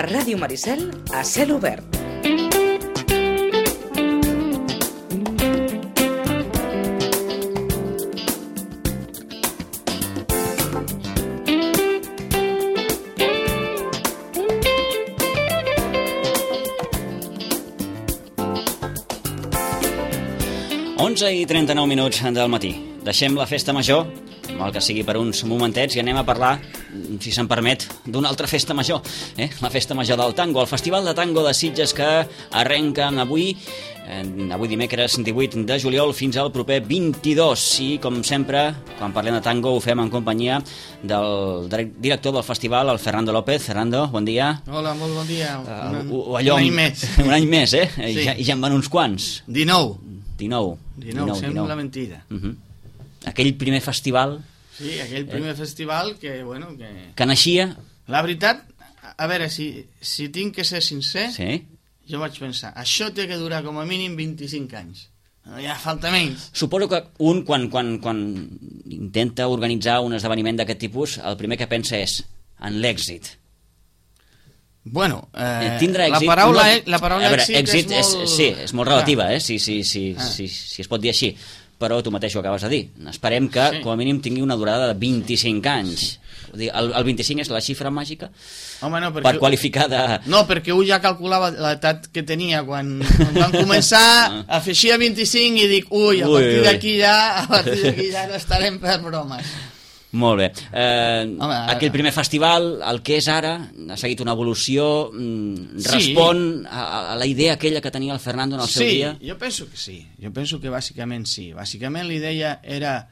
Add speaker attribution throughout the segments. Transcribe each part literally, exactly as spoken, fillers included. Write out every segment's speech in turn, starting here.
Speaker 1: A Ràdio Maricel, a cel obert.
Speaker 2: onze i trenta-nou minuts del matí. Deixem la festa major, mal que sigui per uns momentets, i anem a parlar, si se'n permet, d'una altra festa major, eh? La festa major del tango, el Festival de Tango de Sitges, que arrenquen avui, eh, avui dimecres divuit de juliol, fins al proper vint-i-dos. I, com sempre, quan parlem de tango, ho fem en companyia del director del festival, el Fernando López. Fernando, bon dia.
Speaker 3: Hola, molt bon dia.
Speaker 2: Uh,
Speaker 3: un,
Speaker 2: uh, allò,
Speaker 3: un any més.
Speaker 2: Un any més, eh?
Speaker 3: Sí.
Speaker 2: I, ja, I ja en van uns quants.
Speaker 3: dinou.
Speaker 2: dinou.
Speaker 3: dinou, sembla mentida.
Speaker 2: Uh -huh. Aquell primer festival...
Speaker 3: Sí, aquell primer eh? festival que, bueno, que...
Speaker 2: Que naixia...
Speaker 3: La veritat, a veure, si, si tinc que ser sincer,
Speaker 2: sí.
Speaker 3: Jo vaig pensar, això té que durar com a mínim vint-i-cinc anys. Ja falta menys.
Speaker 2: Suposo que un, quan, quan, quan intenta organitzar un esdeveniment d'aquest tipus, el primer que pensa és en l'èxit.
Speaker 3: Bueno, eh,
Speaker 2: tindrà èxit,
Speaker 3: la paraula,
Speaker 2: no,
Speaker 3: la paraula
Speaker 2: veure,
Speaker 3: èxit,
Speaker 2: èxit és,
Speaker 3: molt...
Speaker 2: és, sí, és molt relativa,
Speaker 3: ah.
Speaker 2: eh? si, si, si,
Speaker 3: ah.
Speaker 2: si, si es pot dir així, però tu mateix ho acabes de dir. Esperem que,
Speaker 3: sí.
Speaker 2: com a mínim, tingui una durada de vint-i-cinc anys. Sí. El, el vint-i-cinc és la xifra màgica.
Speaker 3: Home, no, perquè...
Speaker 2: per qualificar de...
Speaker 3: No, perquè un ja calculava l'edat que tenia quan, quan van començar, afegia vint-i-cinc i dic, ui, a
Speaker 2: ui,
Speaker 3: partir d'aquí ja, a partir d'aquí ja no estarem per bromes.
Speaker 2: Molt bé. Eh,
Speaker 3: Home,
Speaker 2: aquell primer festival, el que és ara, ha seguit una evolució, mm, respon sí. a, a la idea aquella que tenia el Fernando en el
Speaker 3: sí,
Speaker 2: seu dia?
Speaker 3: Sí, jo penso que sí. Jo penso que bàsicament sí. Bàsicament l'idea era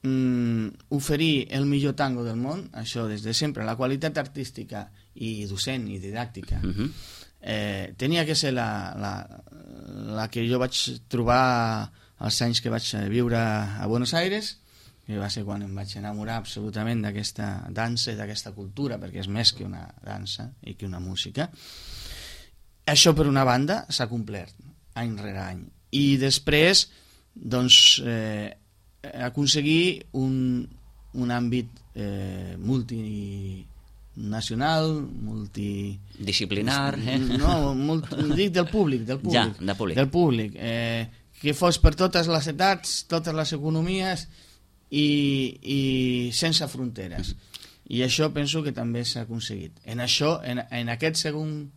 Speaker 3: mm, oferir el millor tango del món, això des de sempre, la qualitat artística i docent i didàctica. Uh-huh. eh, tenia que ser la, la, la que jo vaig trobar els anys que vaig viure a Buenos Aires, que va ser quan em vaig enamorar absolutament d'aquesta dansa i d'aquesta cultura, perquè és més que una dansa i que una música. Això, per una banda, s'ha complert any rere any. I després, doncs, eh, aconseguir un, un àmbit eh, multinacional, multi...
Speaker 2: disciplinar, eh?
Speaker 3: No, multi, dic del públic, del públic.
Speaker 2: Ja, de públic.
Speaker 3: Del públic. Eh, que fos per totes les edats, totes les economies, I, i sense fronteres. I això penso que també s'ha aconseguit. En això, en, en aquest segon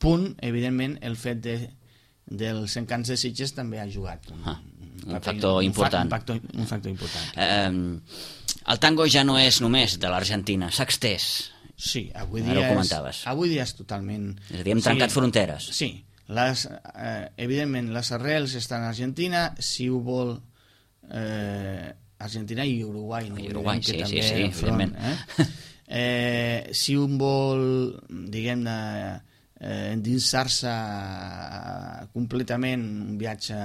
Speaker 3: punt, evidentment, el fet de, dels encants de Sitges també ha jugat un,
Speaker 2: ah, un,
Speaker 3: un
Speaker 2: factor
Speaker 3: un,
Speaker 2: important.
Speaker 3: Un factor, un factor important.
Speaker 2: Eh, el tango ja no és només de l'Argentina, s'ha extès.
Speaker 3: Sí, avui dia,
Speaker 2: Ara ho comentaves.
Speaker 3: És, avui dia és totalment...
Speaker 2: És a dir, hem trencat sí, fronteres.
Speaker 3: Sí, les, eh, evidentment, les arrels estan a Argentina, si ho vol... Eh, Argentina i Uruguai, no?
Speaker 2: I Uruguai, sí, sí, sí,
Speaker 3: evidentment. Eh? Eh, si un vol, diguem-ne, eh, endinsar-se completament un viatge,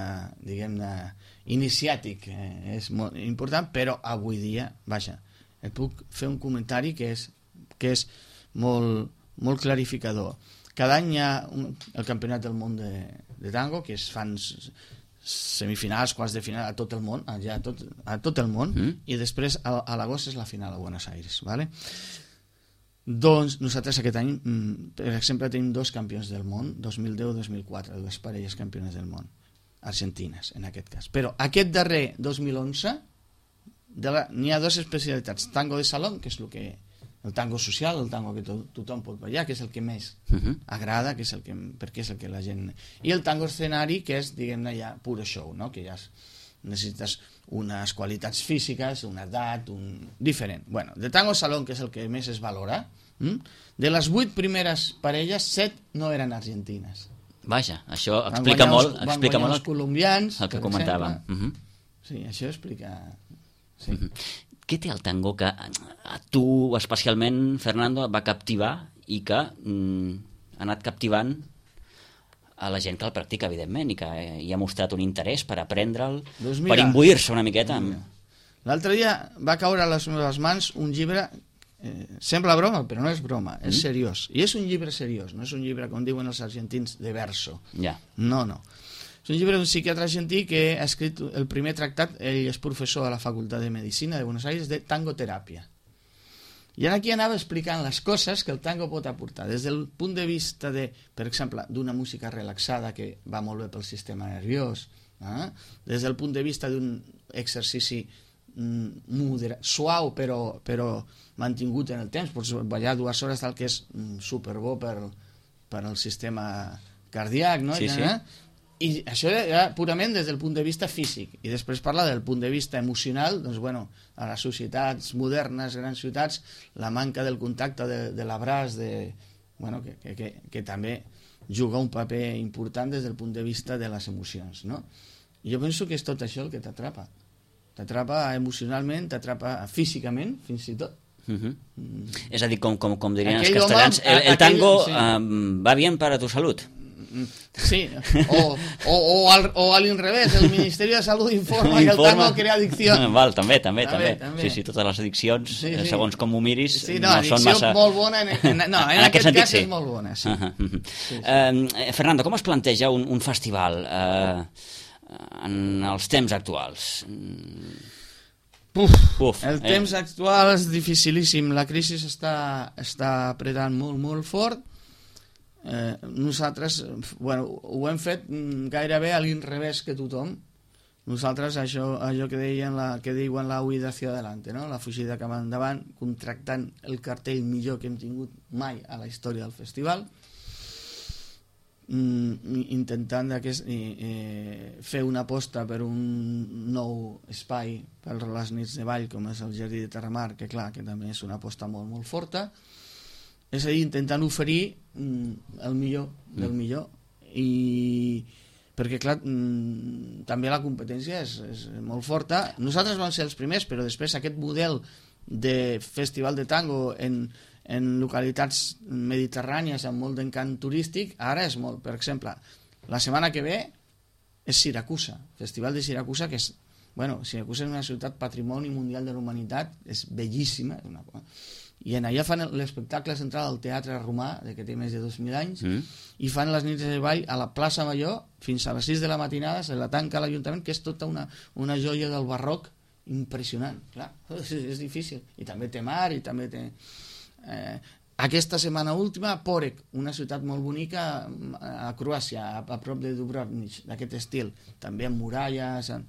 Speaker 3: diguem-ne, iniciàtic, eh, és molt important, però avui dia, vaja, et puc fer un comentari que és, que és molt, molt clarificador. Cada any hi ha un, el Campionat del Món de, de Tango, que es fan semifinals, quarts de final a tot el món, ja a, tot, a tot el món, mm. i després a, a l'agost és la final a Buenos Aires, ¿vale? Doncs nosaltres aquest any, per exemple, tenim dos campions del món, dos mil deu i dos mil quatre, dues parelles campiones del món, argentines en aquest cas. Però aquest darrer dos mil onze n'hi ha dues especialitats, tango de salón, que és el que el tango social, el tango que to tothom pot ballar, que és el que més uh-huh. agrada, que és el que, perquè és el que la gent... I el tango escenari, que és, diguem-ne, ja puro show, no? Que ja necessites unes qualitats físiques, una edat, un... diferent. Bueno, de tango salón, que és el que més es valora, hm? de les vuit primeres parelles, set no eren argentines.
Speaker 2: Vaja, això explica molt,
Speaker 3: els,
Speaker 2: explica molt
Speaker 3: els colombians,
Speaker 2: el que comentàvem. Uh -huh.
Speaker 3: Sí, això explica... Sí.
Speaker 2: Uh -huh. Què té el tango que a tu especialment, Fernando, va captivar i que mm, ha anat captivant a la gent que el practica, evidentment, i que hi ha mostrat un interès per aprendre'l, doncs mira, per imbuir-se una miqueta? Amb...
Speaker 3: L'altre dia va caure a les meves mans un llibre, eh, sembla broma, però no és broma, és mm. seriós. I és un llibre seriós, no és un llibre, com diuen els argentins, de verso.
Speaker 2: Ja.
Speaker 3: No, no. És un llibre d'un psiquiatre argentí que ha escrit el primer tractat, ell és professor a la Facultat de Medicina de Buenos Aires, de tangoteràpia. I ara aquí anava explicant les coses que el tango pot aportar, des del punt de vista de, per exemple, d'una música relaxada que va molt bé pel sistema nerviós, eh? Des del punt de vista d'un exercici mm, moderat, suau però, però mantingut en el temps, pots ballar dues hores tal que és mm, superbo per, per al sistema cardíac, no?
Speaker 2: Sí, sí.
Speaker 3: Eh? I això era purament des del punt de vista físic, i després parla del punt de vista emocional. Doncs bueno, a les societats modernes, grans ciutats, la manca del contacte, de, de l'abraç, de, bueno, que, que, que, que també juga un paper important des del punt de vista de les emocions, no? I jo penso que és tot això el que t'atrapa. T'atrapa emocionalment, t'atrapa físicament, fins i tot.
Speaker 2: Uh -huh. mm. És a dir, com, com, com dirien
Speaker 3: Aquell
Speaker 2: els castellans,
Speaker 3: home,
Speaker 2: el, el
Speaker 3: aquell,
Speaker 2: tango
Speaker 3: sí.
Speaker 2: um, va bien para tu salud.
Speaker 3: Sí, o, o, o, al, o a l'inrevés, el Ministeri de Salut informa que el tango crea addicció.
Speaker 2: Val, també, també, també,
Speaker 3: també, també.
Speaker 2: Sí, sí, totes les addiccions,
Speaker 3: Sí, sí.
Speaker 2: segons com ho miris,
Speaker 3: Sí, no,
Speaker 2: no són massa...
Speaker 3: molt bona, en, en, no, en, en aquest, aquest cas sí. És molt bona, sí.
Speaker 2: Uh -huh, uh -huh.
Speaker 3: Sí, sí.
Speaker 2: Uh, Fernando, com es planteja un, un festival uh, en els temps actuals?
Speaker 3: Puf,
Speaker 2: Uf,
Speaker 3: el
Speaker 2: eh?
Speaker 3: temps actual és dificilíssim, la crisi està, està apretant molt, molt fort. Eh, nosaltres, bueno, ho hem fet gairebé a l'inrevés que tothom. Nosaltres, això, allò que deien la, que diuen la huida hacia adelante, no? La fugida cap endavant, contractant el cartell millor que hem tingut mai a la història del festival, mm, intentant aquest, eh, fer una aposta per un nou espai per les nits de ball, com és el Jardí de Terramar, que clar, que també és una aposta molt, molt forta. És a dir, intentant oferir mm, el millor del mm. millor, i perquè clar, mm, també la competència és, és molt forta. Nosaltres vam ser els primers, però després aquest model de festival de tango en, en localitats mediterrànies amb molt d'encant turístic, ara és molt. Per exemple, la setmana que ve és Siracusa, Festival de Siracusa, que és, bueno, Siracusa és una ciutat patrimoni mundial de la humanitat, és bellíssima, és una... i en allà fan l'espectacle central al Teatre Romà, que té més de dos mil anys, mm. i fan les nits de ball a la plaça Major fins a les sis de la matinada, se la tanca l'Ajuntament, que és tota una, una joia del barroc impressionant. Clar, és, és difícil. I també té mar, i també té... Eh, aquesta setmana última, Porek, una ciutat molt bonica a Croàcia, a, a prop de Dubrovnik, d'aquest estil, també amb muralles... En...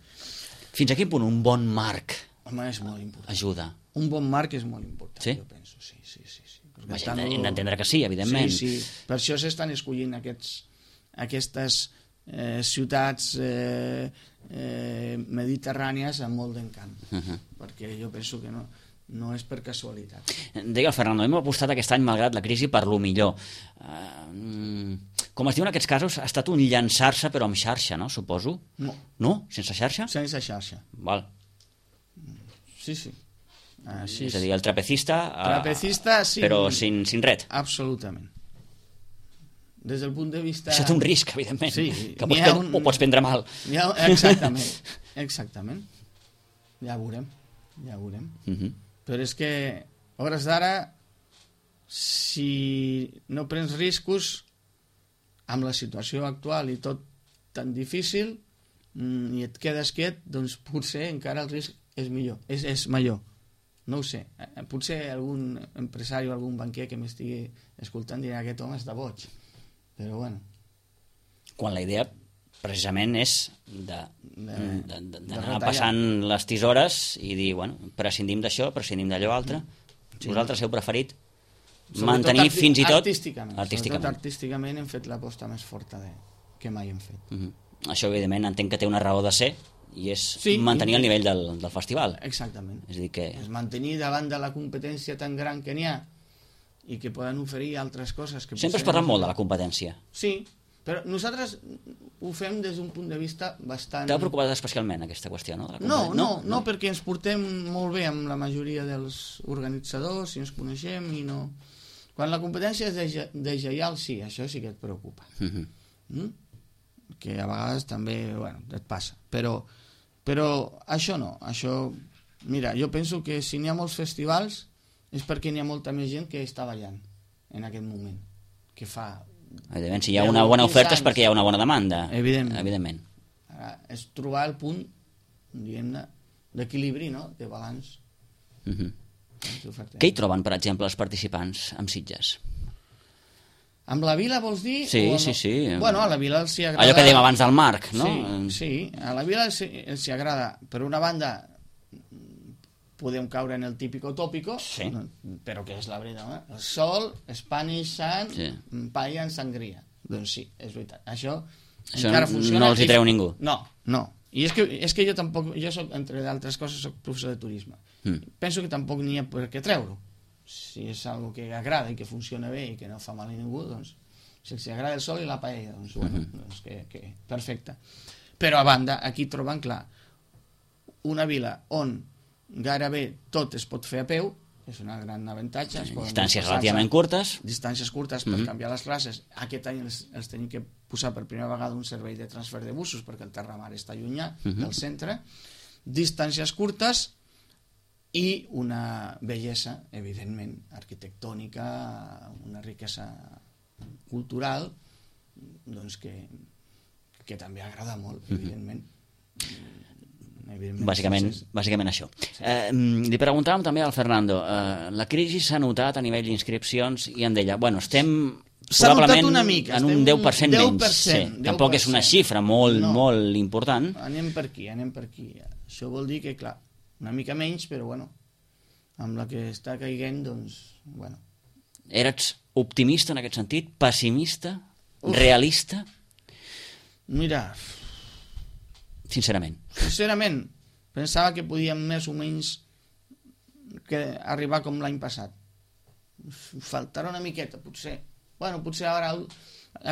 Speaker 2: Fins a quin punt un bon marc
Speaker 3: Home, és molt important.
Speaker 2: ajuda?
Speaker 3: Un bon marc és molt important,
Speaker 2: sí?
Speaker 3: jo penso, sí, sí, sí. sí.
Speaker 2: Vaja, tango... hem d'entendre que sí, evidentment.
Speaker 3: Sí, sí, per això s'estan escollint aquests, aquestes eh, ciutats eh, eh, mediterrànies amb molt d'encant, uh -huh. perquè jo penso que no, no és per casualitat.
Speaker 2: Deia el Fernando, hem apostat aquest any, malgrat la crisi, per lo millor. Uh, com es diu en aquests casos, ha estat un llançar-se però amb xarxa, no? Suposo?
Speaker 3: No.
Speaker 2: No? Sense xarxa?
Speaker 3: Sense xarxa.
Speaker 2: Val.
Speaker 3: Sí, sí. Així
Speaker 2: és a dir, el trapecista,
Speaker 3: trapecista sin...
Speaker 2: però sin, sin ret.
Speaker 3: Absolutament. Des del punt de vista...
Speaker 2: Això té un risc, evidentment,
Speaker 3: sí,
Speaker 2: que pots prendre, un... ho pots prendre mal.
Speaker 3: Ha... Exactament, exactament. Ja ho veurem, ja ho veurem. Uh -huh. Però és que, a hores d'ara, si no prens riscos amb la situació actual i tot tan difícil, i et quedes quiet, doncs potser encara el risc és millor, és, és major. No ho sé, potser algun empresari o algun banquer que m'estigui escoltant dirà que aquest home està boig, però bueno.
Speaker 2: Quan la idea precisament és d'anar passant les tisores i dir, bueno, prescindim d'això, prescindim d'allò altre. Sí. Vosaltres heu preferit mantenir fins i tot...
Speaker 3: Artísticament, artísticament. Sobretot artísticament hem fet l'aposta més forta de... que mai hem fet.
Speaker 2: Uh -huh. Això, evidentment, entenc que té una raó de ser, i és sí, mantenir el nivell del, del festival.
Speaker 3: Exactament.
Speaker 2: És a dir que...
Speaker 3: És mantenir davant de la competència tan gran que n'hi ha i que poden oferir altres coses. Que
Speaker 2: sempre es parla molt de la competència.
Speaker 3: Sí, però nosaltres ho fem des d'un punt de vista bastant...
Speaker 2: T'ha preocupat especialment aquesta qüestió, no? De la
Speaker 3: no, no, no, no, perquè ens portem molt bé amb la majoria dels organitzadors i ens coneixem i no... Quan la competència és deslleial, sí, això sí que et preocupa. Uh-huh. mm? Que a vegades també, bueno, et passa. Però, però això no, això... Mira, jo penso que si n'hi ha molts festivals és perquè n'hi ha molta més gent que està ballant en aquest moment, que fa...
Speaker 2: Evidentment, si hi ha una bona oferta és perquè hi ha una bona demanda.
Speaker 3: Evidentment.
Speaker 2: Evidentment.
Speaker 3: Ara, és trobar el punt, diguem-ne, d'equilibri, no?, de balanç.
Speaker 2: Uh-huh. Què hi troben, per exemple, els participants amb Sitges?
Speaker 3: Amb la vila vols dir?
Speaker 2: Sí,
Speaker 3: amb...
Speaker 2: sí, sí.
Speaker 3: Bueno, a la vila els hi agrada...
Speaker 2: Allò que dèiem abans del marc, no?
Speaker 3: Sí, sí, a la vila els, els hi agrada. Per una banda, podem caure en el típico tópico,
Speaker 2: sí.
Speaker 3: Però que és la veritat, eh? El sol, Spanish Sun, sí. Paella en sangria. Doncs sí, és veritat. Això,
Speaker 2: Això
Speaker 3: encara funciona.
Speaker 2: No els hi treu ningú.
Speaker 3: No, no. I és que, és que jo tampoc, jo soc, entre d'altres coses, soc professor de turisme. Mm. Penso que tampoc n'hi ha per què treure-ho. Si és algo que agrada i que funciona bé i que no fa mal a ningú, doncs, si els agrada el sol i la paella, doncs, bueno, mm-hmm. doncs que, que, perfecte. Però a banda, aquí troben clar, una vila on gairebé tot es pot fer a peu, és un gran avantatge.
Speaker 2: Sí, distàncies relativament curtes.
Speaker 3: Distàncies curtes per mm-hmm. canviar les classes. Aquest any els, els tenim que posar per primera vegada un servei de transfer de busos perquè el Terramar està allunyat mm-hmm. del centre. Distàncies curtes i una bellesa, evidentment, arquitectònica, una riquesa cultural, doncs que, que també agrada molt, mm-hmm. evidentment.
Speaker 2: Bàsicament, bàsicament això. Sí. Eh, li preguntàvem també al Fernando, eh, la crisi s'ha notat a nivell d'inscripcions i en deia, bueno, estem probablement una mica, en un deu per cent menys. deu per cent, sí. Tampoc és una xifra molt, no. molt important.
Speaker 3: Anem per aquí, anem per aquí. Això vol dir que, clar, una mica menys, però bueno, amb la que està caiguent, doncs, bueno.
Speaker 2: Eres optimista en aquest sentit? Pessimista? Uf. Realista?
Speaker 3: Mira...
Speaker 2: Sincerament.
Speaker 3: Sincerament, pensava que podíem més o menys que arribar com l'any passat. Faltarà una miqueta, potser. Bueno, potser ara,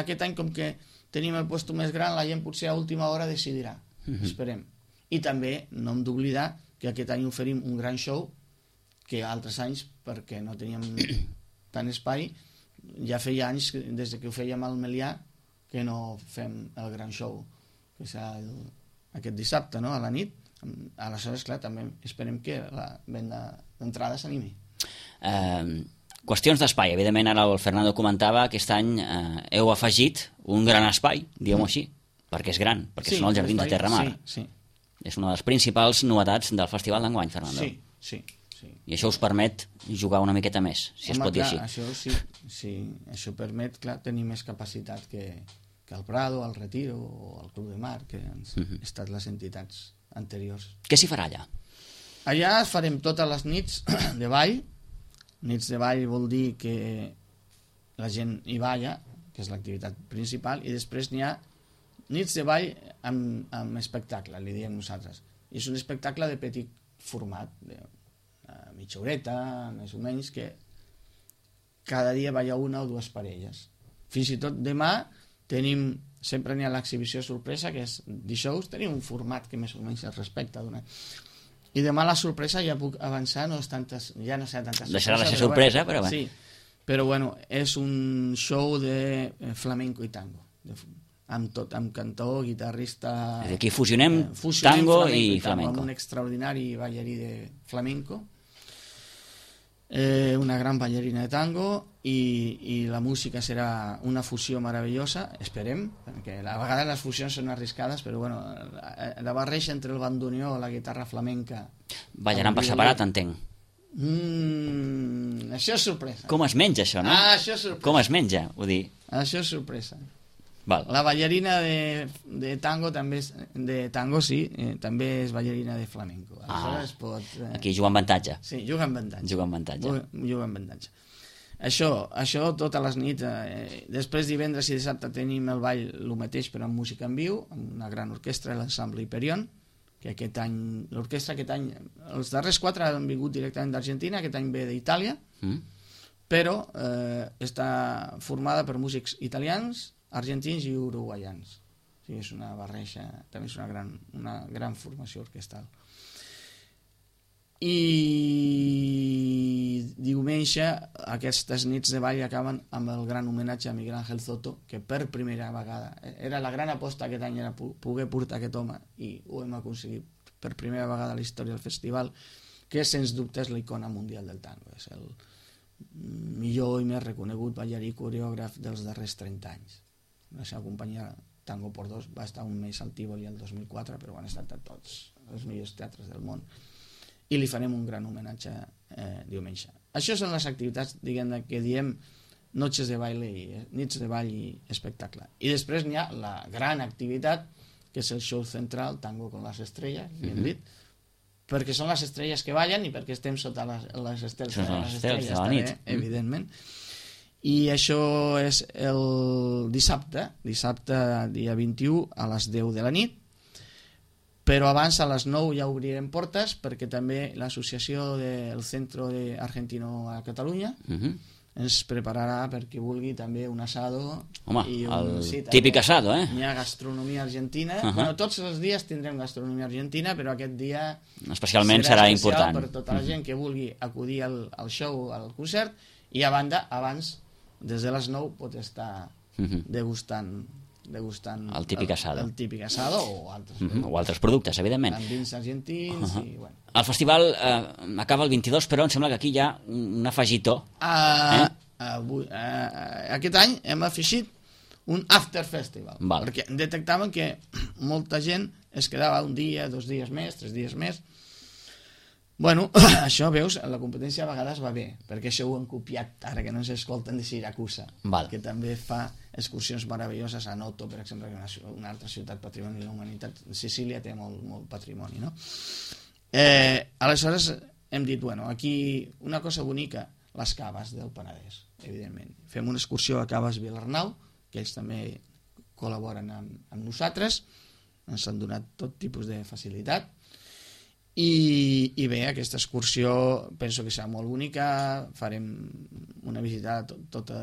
Speaker 3: aquest any, com que tenim el puesto més gran, la gent potser a última hora decidirà. Mm-hmm. Esperem. I també no hem d'oblidar que aquest any oferim un gran show que altres anys, perquè no teníem tant espai, ja feia anys, des que ho fèiem al Melià, que no fem el gran show, que serà el, aquest dissabte, no?, a la nit. Aleshores, clar, també esperem que la venda d'entrada s'animi.
Speaker 2: Eh, qüestions d'espai. Evidentment, ara el Fernando comentava, aquest any eh, heu afegit un gran espai, diguem-ho així, perquè és gran, perquè sí, són els Jardins de Terramar.
Speaker 3: Sí, sí.
Speaker 2: És una de les principals novetats del festival d'enguany, Fernando.
Speaker 3: Sí, sí. Sí.
Speaker 2: I això us permet jugar una miqueta més, si Home, es pot dir
Speaker 3: clar,
Speaker 2: així.
Speaker 3: Això sí, sí, això permet, clar, tenir més capacitat que, que el Prado, el Retiro o el Club de Mar, que han uh-huh. estat les entitats anteriors.
Speaker 2: Què s'hi farà allà?
Speaker 3: Allà farem totes les nits de ball. Nits de ball vol dir que la gent hi balla, que és l'activitat principal, i després n'hi ha nits de ball amb, amb espectacle, li diem nosaltres. I és un espectacle de petit format, de mitja horeta, més o menys, que cada dia balla una o dues parelles. Fins i tot demà tenim, sempre n'hi ha l'exhibició sorpresa, que és dijous, tenim un format que més o menys es respecta. D'una... I demà la sorpresa, ja puc avançar, no és tantes, ja no sé tantes
Speaker 2: Deixarà de ser sorpresa, però bé.
Speaker 3: Sí, però bueno, és un show de flamenco i tango, de, amb tot, amb cantó, guitarrista...
Speaker 2: És aquí fusionem, eh, fusionem tango i flamenco. I flamenco.
Speaker 3: Amb un extraordinari ballarí de flamenco, Eh, una gran ballarina de tango i, i la música serà una fusió meravellosa, esperem, perquè a vegades les fusions són arriscades, però bueno, la, la barreja entre el bandoneó, la guitarra flamenca...
Speaker 2: Ballaran per separat, entenc.
Speaker 3: Mm, això és sorpresa.
Speaker 2: Com es menja això, no?
Speaker 3: Ah, això és sorpresa.
Speaker 2: Com es menja, ho dir.
Speaker 3: Això és sorpresa.
Speaker 2: Val.
Speaker 3: La ballarina de, de tango també és, de tango sí, eh, també és ballarina de flamenco.
Speaker 2: Ah,
Speaker 3: pot, eh...
Speaker 2: aquí juga amb avantatge.
Speaker 3: Sí, juga amb avantatge.
Speaker 2: Juga amb avantatge.
Speaker 3: Juga amb avantatge. Això, això totes les nits. Eh, després divendres i dissabte tenim el ball el mateix però amb música en viu, amb una gran orquestra, l'ensemble Hyperion, que aquest any, l'orquestra aquest any, els darrers quatre han vingut directament d'Argentina, aquest any ve d'Itàlia, mm. però eh, està formada per músics italians, argentins i uruguaians. O sigui, és una barreja, també és una gran, una gran formació orquestral. I diumenge aquestes nits de ball acaben amb el gran homenatge a Miguel Ángel Soto, que per primera vegada, era la gran aposta aquest any, era poder portar aquest home, i ho hem aconseguit per primera vegada a la història del festival, que sens dubte és l'icona mundial del tango, és el millor i més reconegut ballarí coreògraf dels darrers trenta anys. La seva companyia Tango por Dos va estar un mes al Tívoli el dos mil quatre, però han estat a tots els millors teatres del món. i li farem un gran homenatge eh, diumenge. Això són les activitats, diguem, que diem noches de baile i nits de ball i espectacle. I després n'hi ha la gran activitat, que és el show central, Tango con las estrellas, ben
Speaker 2: Mhm.
Speaker 3: dit, perquè són les estrelles que ballen i perquè estem sota les, les estels
Speaker 2: Són
Speaker 3: de
Speaker 2: les
Speaker 3: les
Speaker 2: estels
Speaker 3: estrelles,
Speaker 2: de la
Speaker 3: també,
Speaker 2: nit.
Speaker 3: evidentment. I això és el dissabte, dissabte dia vint-i-u a les deu de la nit, però abans a les nou ja obrirem portes perquè també l'associació del Centro de Argentino a Catalunya
Speaker 2: Mhm.
Speaker 3: ens prepararà per qui vulgui també un asado.
Speaker 2: Home,
Speaker 3: i un,
Speaker 2: el
Speaker 3: sí, també
Speaker 2: típic asado, eh?
Speaker 3: N'hi ha gastronomia argentina.
Speaker 2: Uh-huh.
Speaker 3: Bueno, tots els dies tindrem gastronomia argentina, però aquest dia
Speaker 2: Especialment serà,
Speaker 3: especial
Speaker 2: important.
Speaker 3: per tota la gent que vulgui acudir al, al show, al concert, i a banda, abans, des de les nou, pot estar
Speaker 2: Mhm.
Speaker 3: degustant, degustant
Speaker 2: El típic asado.
Speaker 3: El, el típic asado o altres,
Speaker 2: Mhm. O altres productes, evidentment.
Speaker 3: amb vins argentins.
Speaker 2: Uh-huh.
Speaker 3: I, bueno.
Speaker 2: El festival eh, acaba el vint-i-dos, però em sembla que aquí hi ha un un afegitó.
Speaker 3: Uh,
Speaker 2: Eh?
Speaker 3: avui, uh, aquest any hem afegit un after festival,
Speaker 2: Val.
Speaker 3: perquè detectàvem que molta gent es quedava un dia, dos dies més, tres dies més. Bueno, això, veus, la competència a vegades va bé, perquè això ho han copiat ara que no ens escolten de Siracusa,
Speaker 2: Val.
Speaker 3: que també fa excursions meravelloses a Noto, per exemple, que és una, una altra ciutat patrimoni de la humanitat. Sicília té molt, molt patrimoni, no? Eh, aleshores hem dit, bueno, aquí una cosa bonica, les caves del Penedès, evidentment. Fem una excursió a Caves Vilarnau, que ells també col·laboren amb, amb nosaltres, ens han donat tot tipus de facilitat, i, i bé, aquesta excursió penso que serà molt bonica, farem una visita a tot, tota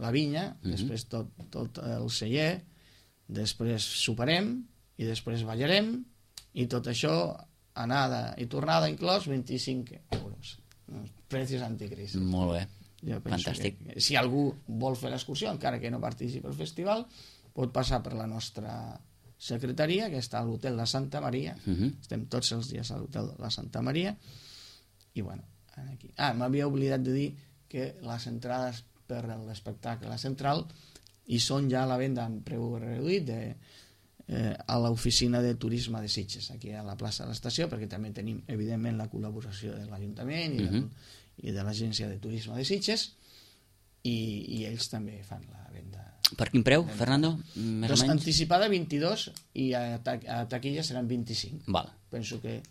Speaker 3: la vinya,
Speaker 2: Mhm.
Speaker 3: després tot, tot el celler, després soparem i després ballarem, i tot això anada i tornada inclòs vint-i-cinc euros, precis anticrisi.
Speaker 2: Molt bé.
Speaker 3: Jo penso
Speaker 2: Fantàstic.
Speaker 3: que si algú vol fer l'excursió, encara que no participi al festival, pot passar per la nostra secretaria, que està a l'hotel La Santa Maria.
Speaker 2: Mhm.
Speaker 3: Estem tots els dies a l'hotel La Santa Maria. I bueno, aquí. Ah, m'havia oblidat de dir que les entrades per l'espectacle central hi són ja a la venda en preu reduït de, eh, a l'oficina de turisme de Sitges, aquí a la plaça de l'estació, perquè també tenim, evidentment, la col·laboració de l'Ajuntament i, del,
Speaker 2: Mhm.
Speaker 3: i de l'Agència de Turisme de Sitges, i, i ells també fan la venda.
Speaker 2: Per quin preu, Fernando? Més
Speaker 3: Doncs
Speaker 2: o menys?
Speaker 3: anticipada vint-i-dos i a, ta a taquilla seran vint-i-cinc.
Speaker 2: Val.
Speaker 3: Penso que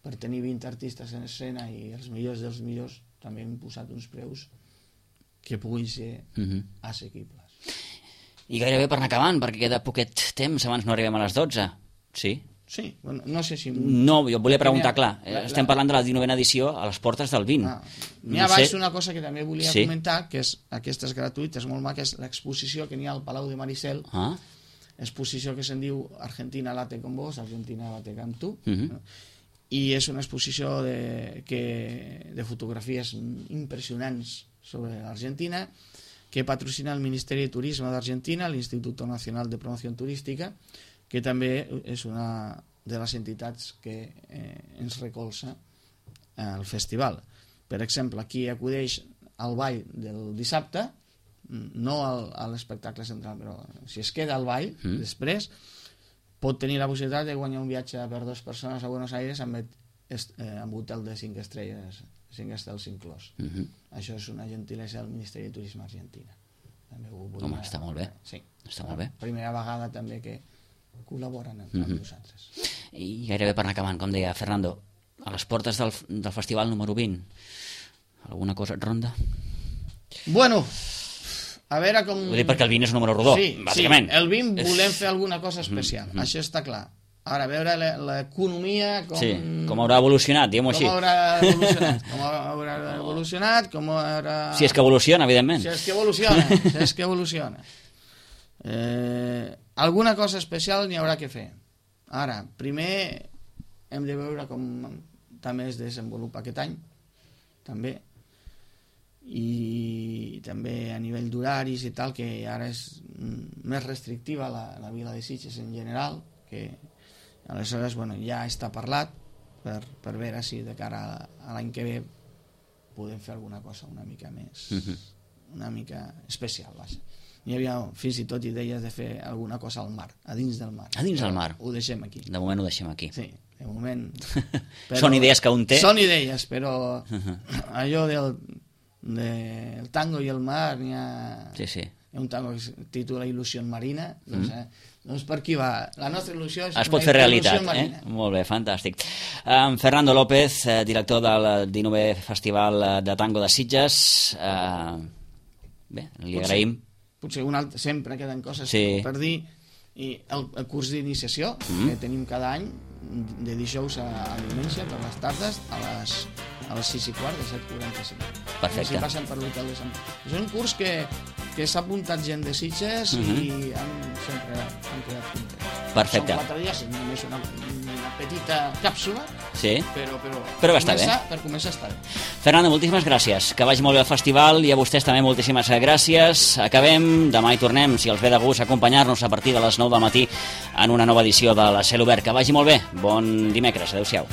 Speaker 3: per tenir vint artistes en escena i els millors dels millors també hem posat uns preus que puguin ser
Speaker 2: Mhm.
Speaker 3: assequibles.
Speaker 2: I gairebé per anar acabant, perquè queda poquet temps abans no arribem a les dotze. Sí?
Speaker 3: Sí, bueno, no sé si...
Speaker 2: No, jo et volia preguntar,
Speaker 3: La-
Speaker 2: clar,
Speaker 3: la-
Speaker 2: estem parlant de la dinovena edició a les portes del vint.
Speaker 3: Ah, n'hi ha
Speaker 2: No
Speaker 3: baix
Speaker 2: sé-
Speaker 3: una cosa que també volia
Speaker 2: Sí.
Speaker 3: comentar, que és aquesta és gratuïta, és molt maca, és l'exposició que n'hi ha al Palau de Maricel,
Speaker 2: Ah,
Speaker 3: exposició que se'n diu Argentina late con vos, Argentina late con tu,
Speaker 2: Mhm.
Speaker 3: no? I és una exposició de, que, de fotografies impressionants sobre l'Argentina, que patrocina el Ministeri de Turisme d'Argentina, l'Instituto Nacional de Promoció Turística, que també és una de les entitats que eh, ens recolza al festival. Per exemple, aquí acudeix al ball del dissabte, no al, a l'espectacle central, però si es queda al ball,
Speaker 2: Mm.
Speaker 3: després, pot tenir la possibilitat de guanyar un viatge per dues persones a Buenos Aires amb, est, eh, amb hotel de cinc estrelles, cinc estels inclòs.
Speaker 2: mhm.
Speaker 3: Això és una gentilesa del Ministeri de Turisme Argentina. També ho volia...
Speaker 2: Home, està molt bé.
Speaker 3: Sí.
Speaker 2: Està molt bé.
Speaker 3: Primera vegada també que col·laboren amb, amb
Speaker 2: Mhm.
Speaker 3: nosaltres.
Speaker 2: I gairebé per anar acabant, com deia Fernando, a les portes del, del festival número vint, alguna cosa et ronda?
Speaker 3: Bueno, a veure com...
Speaker 2: Ho dic perquè el vint és un número rodó,
Speaker 3: sí,
Speaker 2: bàsicament.
Speaker 3: Sí, el vint
Speaker 2: És-
Speaker 3: volem fer alguna cosa especial,
Speaker 2: Mhm.
Speaker 3: això està clar. Ara, a veure la- l'economia com...
Speaker 2: Sí, com haurà evolucionat, diguem-ho
Speaker 3: com
Speaker 2: així.
Speaker 3: haurà evolucionat, com haurà evolucionat, com haurà...
Speaker 2: Si és que evoluciona, evidentment.
Speaker 3: Si és que evoluciona, si és que evoluciona. Eh, alguna cosa especial n'hi haurà que fer. Ara, primer hem de veure com també es desenvolupa aquest any, també, i també a nivell d'horaris i tal, que ara és mm, més restrictiva la, la vila de Sitges en general, que aleshores bueno, ja està parlat per, per veure si de cara a, a l'any que ve podem fer alguna cosa una mica més
Speaker 2: Mhm.
Speaker 3: una mica especial, vaja. Hi havia fins i tot idees de fer alguna cosa al mar, a dins del mar.
Speaker 2: A dins del mar.
Speaker 3: Ho deixem aquí.
Speaker 2: De moment ho deixem aquí.
Speaker 3: Sí, de moment.
Speaker 2: Però, són idees que un té?
Speaker 3: Són idees, però uh -huh. allò del, del tango i el mar, n'hi ha...
Speaker 2: Sí, sí.
Speaker 3: Hi ha un tango que es titula Il·lusió marina, doncs, mm. eh, doncs per aquí va. La nostra il·lusió és
Speaker 2: es pot fer realitat, eh?
Speaker 3: marina.
Speaker 2: Molt bé, fantàstic. Um, Fernando López, eh, director del dinovè Festival de Tango de Sitges, eh, bé, li
Speaker 3: potser,
Speaker 2: agraïm.
Speaker 3: Potser un altre, sempre queden coses
Speaker 2: sí.
Speaker 3: per dir, i el, el curs d'iniciació mm. que tenim cada any, de dijous a, a diumenge, per les tardes, a les, a les sis i quart, de set quaranta-cinc.
Speaker 2: Perfecte.
Speaker 3: Si passen per l'hotel de Sant... És un curs que, que s'ha apuntat gent de Sitges uh -huh. i han, sempre han quedat contents.
Speaker 2: Perfecte.
Speaker 3: Són quatre dies, només una, una petita càpsula,
Speaker 2: sí.
Speaker 3: però, però,
Speaker 2: però va
Speaker 3: per,
Speaker 2: estar
Speaker 3: començar,
Speaker 2: bé.
Speaker 3: per començar està bé.
Speaker 2: Fernando, moltíssimes gràcies. Que vagi molt bé el festival i a vostès també moltíssimes gràcies. Acabem, demà hi tornem, si els ve de gust, acompanyar-nos a partir de les nou del matí en una nova edició de la Cel Obert. Que vagi molt bé. Bon dimecres. Adéu-siau.